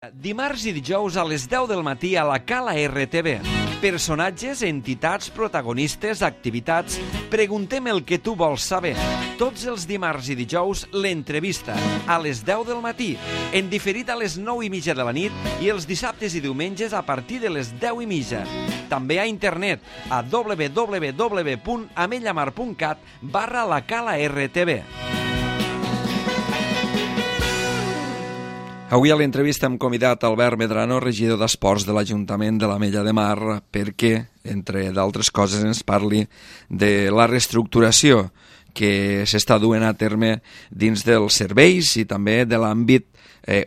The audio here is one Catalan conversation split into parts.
Dimarts i dijous a les 10 del matí a la Cala RTV. Personatges, entitats, protagonistes, activitats... Preguntem el que tu vols saber. Tots els dimarts i dijous, l'entrevista, a les 10 del matí, en diferit a les 9:30 de la nit i els dissabtes i diumenges a partir de les 10:30. També a internet, a www.amellamar.cat/la Cala RTV. Avui a l'entrevista hem convidat Albert Medrano, regidor d'Esports de l'Ajuntament de l'Ametlla de Mar, perquè, entre d'altres coses, ens parli de la reestructuració que s'està duent a terme dins dels serveis i també de l'àmbit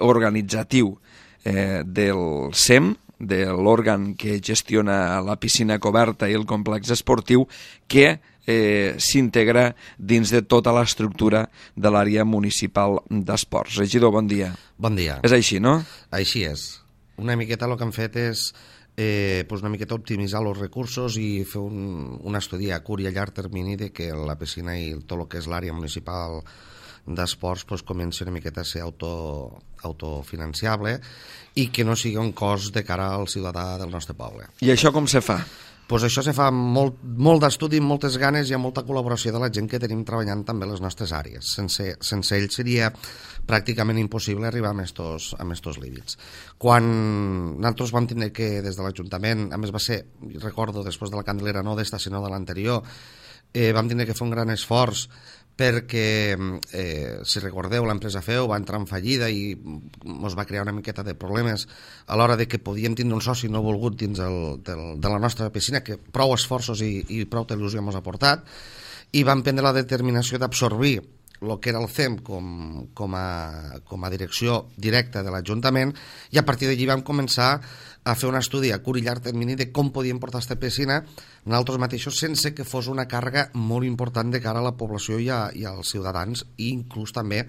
organitzatiu del SEM, de l'òrgan que gestiona la piscina coberta i el complex esportiu, que s'integra dins de tota l'estructura de l'àrea municipal d'esports. Regidor, bon dia. Bon dia. És així, no? Així és. Una miqueta el que hem fet és una miqueta optimitzar els recursos i fer un estudi a curt i a llarg termini de que la piscina i tot el que és l'àrea municipal d'esports comenci una miqueta a ser autofinanciable i que no sigui un cost de cara al ciutadà del nostre poble. I això com se fa? Això se fa molt d'estudi, amb moltes ganes i amb molta col·laboració de la gent que tenim treballant també a les nostres àrees. Sense ells seria pràcticament impossible arribar a estos límits. Quan nosaltres vam tenir que, des de l'Ajuntament, a més va ser, recordo, després de la Candelera, no d'esta sinó de l'anterior, vam tenir que fer un gran esforç perquè, si recordeu, l'empresa FEU va entrar en fallida i ens va crear una miqueta de problemes a l'hora de que podíem tindre un soci no volgut dins de la nostra piscina, que prou esforços i prou il·lusió ens ha portat, i vam prendre la determinació d'absorbir el que era el CEM com a direcció directa de l'Ajuntament, i a partir d'allí vam començar a fer un estudi a curt i llarg termini de com podíem portar aquesta piscina nosaltres mateixos sense que fos una càrrega molt important de cara a la població i als ciutadans, i inclús també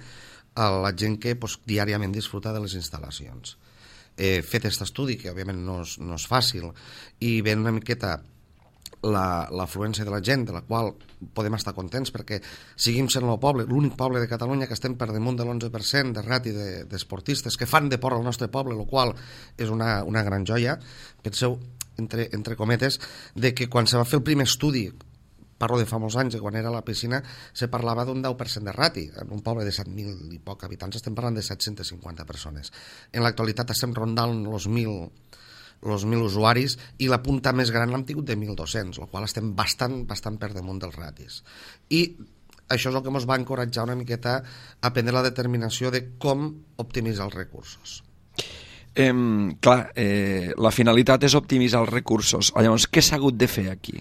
a la gent que diàriament disfruta de les instal·lacions. Fet aquest estudi, que òbviament no és fàcil, i ve una miqueta l'afluència de la gent, de la qual podem estar contents perquè seguim sent el poble, l'únic poble de Catalunya que estem per damunt de l'11% de rati d'esportistes que fan deport al nostre poble, el qual és una gran joia. Penseu, entre cometes, de que quan se va fer el primer estudi, parlo de fa molts anys, quan era a la piscina, se parlava d'un 10% de rati. En un poble de 7.000 i poc habitants estem parlant de 750 persones. En l'actualitat estem rondant els 1.000 usuaris, i la punta més gran l'hem tingut de 1.200, el qual estem bastant per damunt dels ratis. I això és el que ens va encoratjar una miqueta a prendre la determinació de com optimitzar els recursos. La finalitat és optimitzar els recursos. Llavors, què s'ha hagut de fer aquí?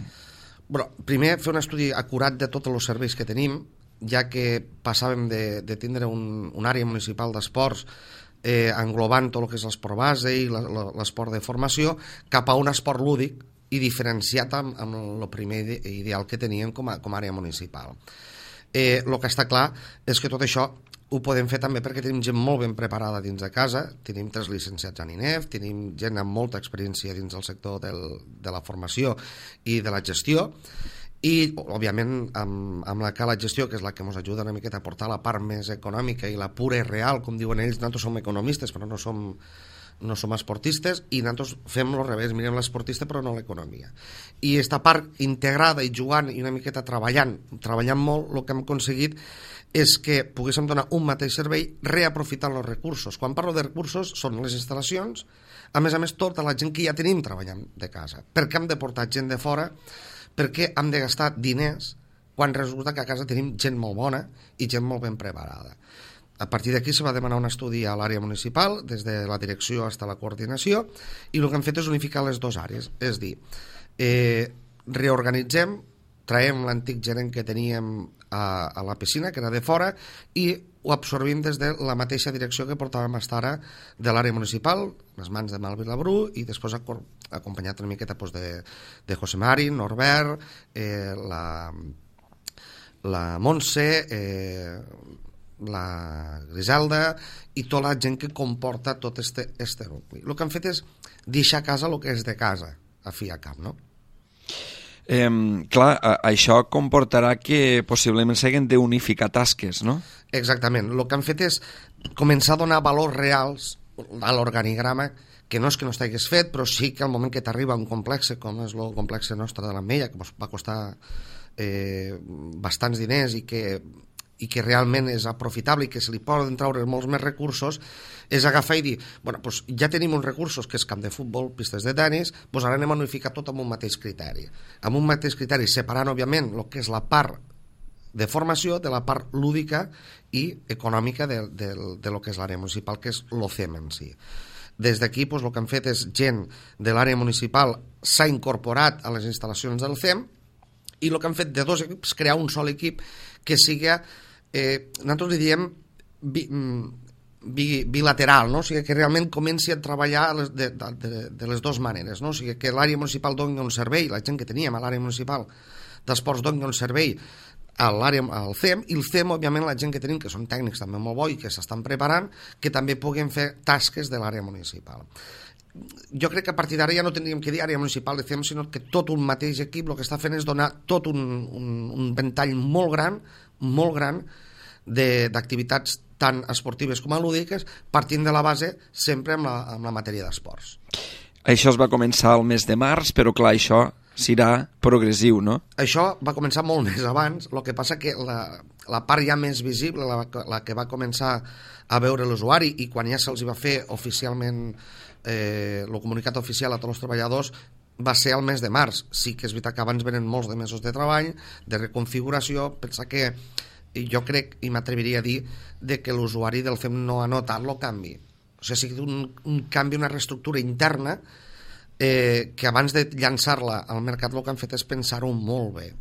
Primer, fer un estudi acurat de tots els serveis que tenim, ja que passàvem de tindre una àrea municipal d'esports englobant tot el que és l'esport base i l'esport de formació cap a un esport lúdic i diferenciat amb el primer ideal que teníem com a àrea municipal. El que està clar és que tot això ho podem fer també perquè tenim gent molt ben preparada dins de casa, tenim 3 llicenciats en INEF, tenim gent amb molta experiència dins del sector de la formació i de la gestió, i, òbviament, amb la Cala Gestió, que és la que ens ajuda una miqueta a portar la part més econòmica i la pura i real, com diuen ells. Nosaltres som economistes, però no som esportistes, i nosaltres fem el revés, mirem l'esportista però no l'economia. I aquesta part integrada i jugant i una miqueta treballant molt, el que hem aconseguit és que poguéssim donar un mateix servei reaprofitant els recursos. Quan parlo de recursos, són les instal·lacions, a més tota la gent que ja tenim treballant de casa. Per què hem de portar gent de fora? Perquè hem de gastar diners quan resulta que a casa tenim gent molt bona i gent molt ben preparada. A partir d'aquí se va demanar un estudi a l'àrea municipal, des de la direcció fins a la coordinació, i el que hem fet és unificar les dues àrees, és dir, reorganitzem, traiem l'antic gerent que teníem a la piscina, que era de fora, i ho absorbim des de la mateixa direcció que portàvem fins ara de l'àrea municipal, les mans de Malvi Labrú, i després acompanyat una miqueta de José Mari, Norbert, la Montse, la Griselda i tota la gent que comporta tot este nucli. El que han fet és deixar a casa el que és de casa, a fi a cap, no? Clar, això comportarà que possiblement s'hagin d'unificar tasques, no? Exactament. El que han fet és començar a donar valors reals a l'organigrama, que no és que no estigués fet, però sí que al moment que t'arriba un complex, com és el complex nostre de l'Ametlla, que va costar bastants diners i que realment és aprofitable i que se li poden treure molts més recursos, és agafar i dir, bueno, doncs ja tenim uns recursos que és camp de futbol, pistes de tenis, doncs ara anem a unificar tot amb un mateix criteri. Amb un mateix criteri, separant, òbviament, el que és la part de formació de la part lúdica i econòmica de lo que és l'àrea municipal, que és l'OCEM en si. Des d'aquí, doncs, el que han fet és gent de l'àrea municipal s'ha incorporat a les instal·lacions del CEM i el que han fet de dos equips, crear un sol equip que sigui, nosaltres li diem bilateral, no? O sigui, que realment comenci a treballar de les dues maneres, no? O sigui, que l'àrea municipal doni un servei, la gent que teníem a l'àrea municipal d'esports doni un servei al CEM, i el CEM, òbviament, la gent que tenim, que són tècnics també molt bo i que s'estan preparant, que també puguin fer tasques de l'àrea municipal. Jo crec que a partir d'ara ja no tindríem que dir àrea municipal de CEM, sinó que tot un mateix equip el que està fent és donar tot un ventall molt gran d'activitats tant esportives com lúdiques, partint de la base sempre amb la matèria d'esports. Això es va començar el mes de març, però clar, això serà progressiu, no? Això va començar molt més abans, el que passa que la part ja més visible, la que va començar a veure l'usuari i quan ja se'ls va fer oficialment el comunicat oficial a tots els treballadors, va ser el mes de març. Sí que és veritat que abans venen molts de mesos de treball, de reconfiguració. Pensa que jo crec, i m'atreviria a dir, que l'usuari del FEM no ha notat el canvi. O sigui, ha sigut un canvi, una reestructura interna que abans de llançar-la al mercat el que han fet és pensar-ho molt bé,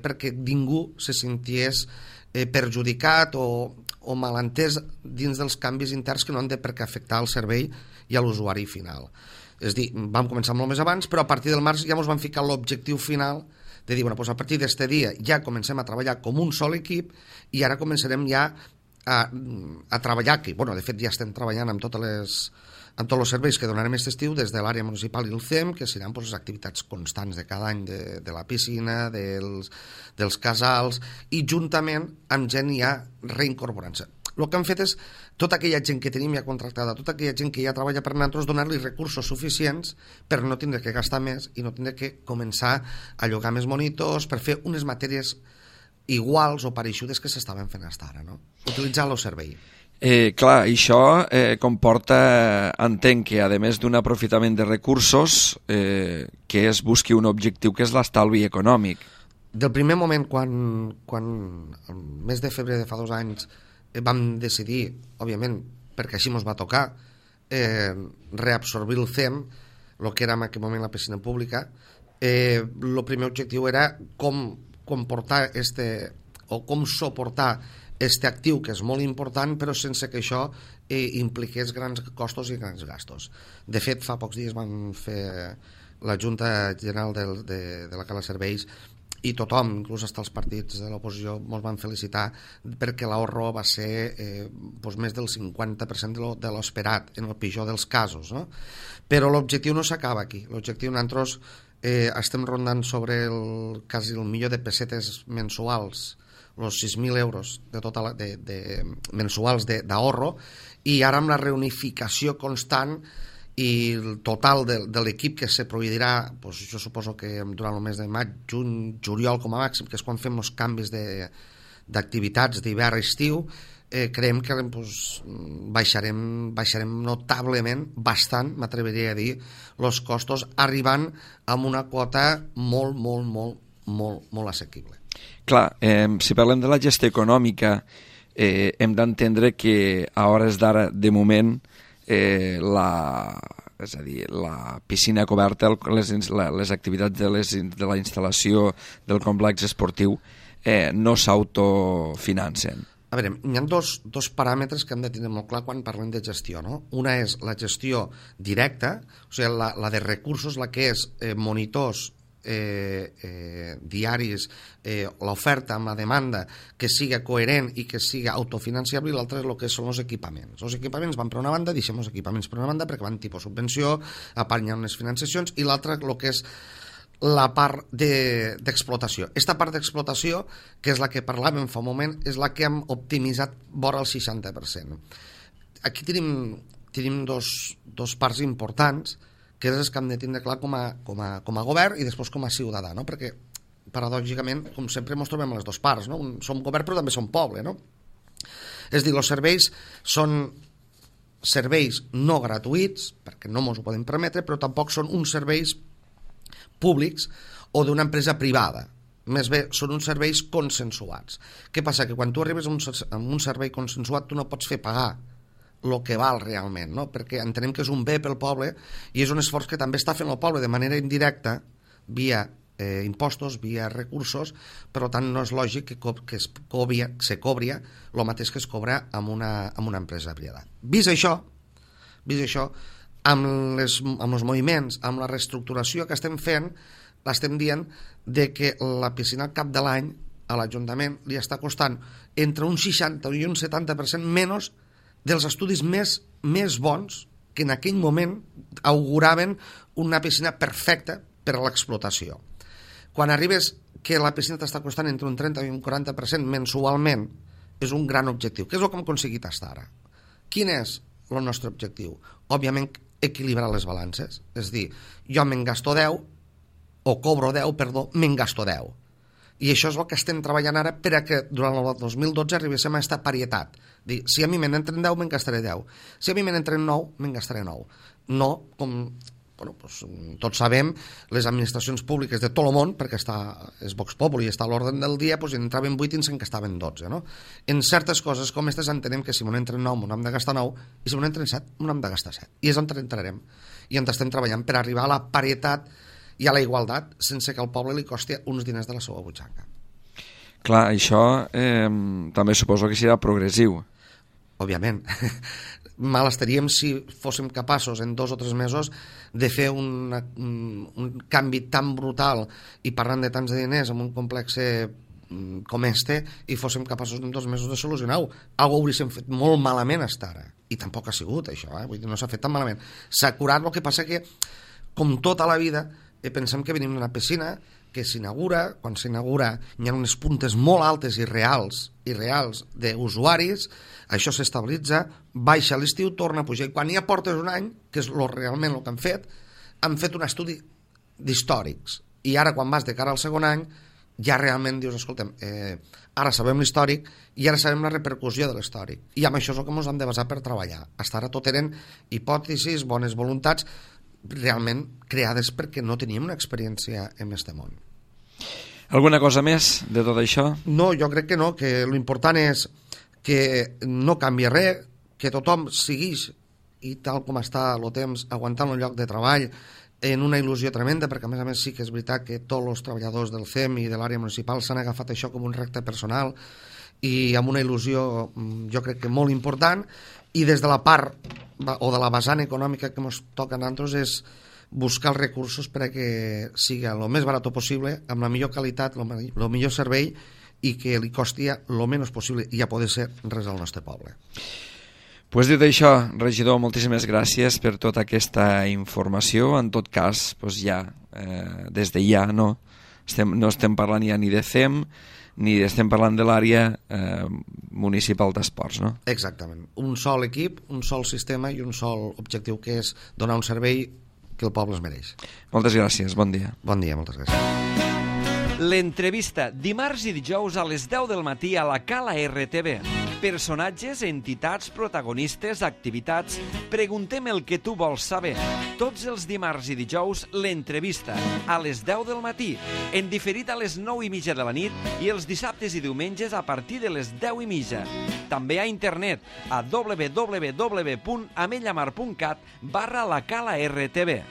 perquè ningú se senties perjudicat o malentès dins dels canvis interns que no han de per què afectar el servei i a l'usuari final. És a dir, vam començar molt més abans, però a partir del març ja ens van ficar l'objectiu final de dir, bueno, doncs a partir d'aquest dia ja comencem a treballar com un sol equip i ara començarem ja a treballar, que bueno, de fet ja estem treballant amb tots els serveis que donarem aquest estiu des de l'àrea municipal i el CEM, que seran doncs, les activitats constants de cada any de la piscina, dels casals, i juntament amb gent ja reincorporant-se. El que han fet és tota aquella gent que tenim ja contractada, tota aquella gent que ja treballa per nosaltres, donar-li recursos suficients per no tindre que gastar més i no tindre que començar a llogar més monitors per fer unes matèries iguals o pareixudes que s'estaven fent fins ara, no? Utilitzar el servei. Clar, això comporta, entenc que a més d'un aprofitament de recursos, que es busqui un objectiu que és l'estalvi econòmic. Del primer moment, quan el mes de febrer de fa 2 anys vam decidir, òbviament, perquè així ens va tocar, reabsorbir el CEM, el que era en aquell moment la piscina pública, el primer objectiu era com comportar com suportar este actiu, que és molt important, però sense que això impliqués grans costos i grans gastos. De fet, fa pocs dies vam fer la Junta General de la Cala Serveis i tothom, inclús fins els partits de l'oposició, ens van felicitar perquè l'ahorro va ser més del 50% de l'esperat, en el pitjor dels casos, no? Però l'objectiu no s'acaba aquí. L'objectiu, nosaltres estem rondant sobre quasi el milió de pessetes mensuals, els 6.000 euros mensuals d'ahorro, i ara amb la reunificació constant i el total de l'equip que se proveirà, jo suposo que durant el mes de maig, juny, juliol com a màxim, que és quan fem els canvis d'activitats d'hivern-estiu, creiem que baixarem notablement, bastant, m'atreviria a dir, els costos, arribant a una quota molt assequible. Clar, si parlem de la gestió econòmica, hem d'entendre que a hores d'ara, de moment, és a dir, la piscina coberta, les activitats de la instal·lació del complex esportiu no s'autofinancen. A veure, hi ha dos paràmetres que hem de tenir molt clar quan parlem de gestió, no? Una és la gestió directa, o sigui, la de recursos, la que és monitors diaris, l'oferta amb la demanda, que siga coherent i que siga autofinanciable, i l'altre és el que són els equipaments. Els equipaments van per una banda, deixem els equipaments per una banda perquè van tipus subvenció, a part hi ha unes financiacions, i l'altre el que és la part d'explotació. Aquesta part d'explotació, que és la que parlàvem fa un moment, és la que hem optimitzat vora el 60%. Aquí tenim tenim dos parts importants, que és el que hem de tindre clar com a govern i després com a ciutadà, no? Perquè paradògicament, com sempre, ens trobem a les dues parts, no? Som govern però també som poble, no? És a dir, els serveis són serveis no gratuïts, perquè no ens ho podem permetre, però tampoc són uns serveis públics o d'una empresa privada. Més bé, són uns serveis consensuats. Què passa? Que quan tu arribes a un servei consensuat tu no pots fer pagar el que val realment, no? Perquè entenem que és un bé pel poble i és un esforç que també està fent el poble de manera indirecta via impostos, via recursos, per tant no és lògic que se cobri el mateix que es cobra amb una empresa privada. Vist això, amb els moviments, amb la reestructuració que estem fent, l'estem dient de que la piscina al cap de l'any a l'Ajuntament li està costant entre un 60 i un 70% menys dels estudis més bons que en aquell moment auguraven una piscina perfecta per a l'explotació. Quan arribes que la piscina t'està costant entre un 30 i un 40% mensualment, és un gran objectiu. Què és el que hem aconseguit fins ara? Quin és el nostre objectiu? Òbviament, equilibrar les balances. És a dir, jo me'n gasto 10, o cobro 10, perdó, me'n gasto 10. I això és el que estem treballant ara per a que durant el 2012 arribéssim a aquesta parietat. Dir, si a mi me'n entren 10, me'n gastaré 10. Si a mi me'n entren 9, me'n gastaré 9. No com... tots sabem, les administracions públiques de tot el món, perquè és Vox Populi i està a l'ordre del dia, en entraven 8 i en gastaven 12. No? En certes coses com aquestes entenem que si m'on entren 9 m'on hem de gastar 9 i si m'on entren 7 m'on hem de gastar 7. I és on entrarem. I on estem treballant per arribar a la parietat i a la igualtat sense que al poble li costi uns diners de la seva butxaca. Clar, això també suposo que serà progressiu. Òbviament. Mal estaríem si fóssim capaços en 2 o 3 mesos de fer un canvi tan brutal i parlant de tants de diners en un complex com este i fóssim capaços en 2 mesos de solucionar-ho. Algo hauríem fet molt malament fins ara. I tampoc ha sigut això, vull dir, no s'ha fet tan malament. S'ha curat, el que passa que, com tota la vida, pensem que venim d'una piscina que s'inaugura, quan s'inaugura hi ha unes puntes molt altes i reals d'usuaris, això s'estabilitza, baixa a l'estiu, torna a pujar, i quan ja portes un any, que és realment el que han fet un estudi d'històrics, i ara quan vas de cara al segon any, ja realment dius, escolta'm, ara sabem l'històric i ara sabem la repercussió de l'històric, i amb això és el que ens hem de basar per treballar. Fins ara tot eren hipòtesis, bones voluntats, realment creades perquè no teníem una experiència en aquest món. Alguna cosa més de tot això? No, jo crec que no, que l'important és que no canvia res, que tothom segueix i tal com està el temps aguantant el lloc de treball en una il·lusió tremenda, perquè a més sí que és veritat que tots els treballadors del CEM i de l'àrea municipal s'han agafat això com un repte personal i amb una il·lusió jo crec que molt important, i des de la part o de la vessant econòmica que ens toca a nosaltres és buscar els recursos per a que sigui el més barat possible, amb la millor qualitat, el millor servei i que li costi el menys possible i a poder ser res al nostre poble. Pues dit això, regidor, moltíssimes gràcies per tota aquesta informació. En tot cas, pues ja, des de ja no estem parlant ja ni de CEM ni estem parlant de l'àrea municipal d'esports, no? Exactament. Un sol equip, un sol sistema i un sol objectiu, que és donar un servei que el poble es mereix. Moltes gràcies, bon dia. Bon dia, moltes gràcies. L'entrevista, dimarts i dijous a les 10 del matí a la Cala RTV. Personatges, entitats, protagonistes, activitats... Preguntem el que tu vols saber. Tots els dimarts i dijous, l'entrevista, a les 10 del matí, en diferit a les 9:30 de la nit i els dissabtes i diumenges a partir de les 10:30. També a internet a www.amellamar.cat/la Cala RTV.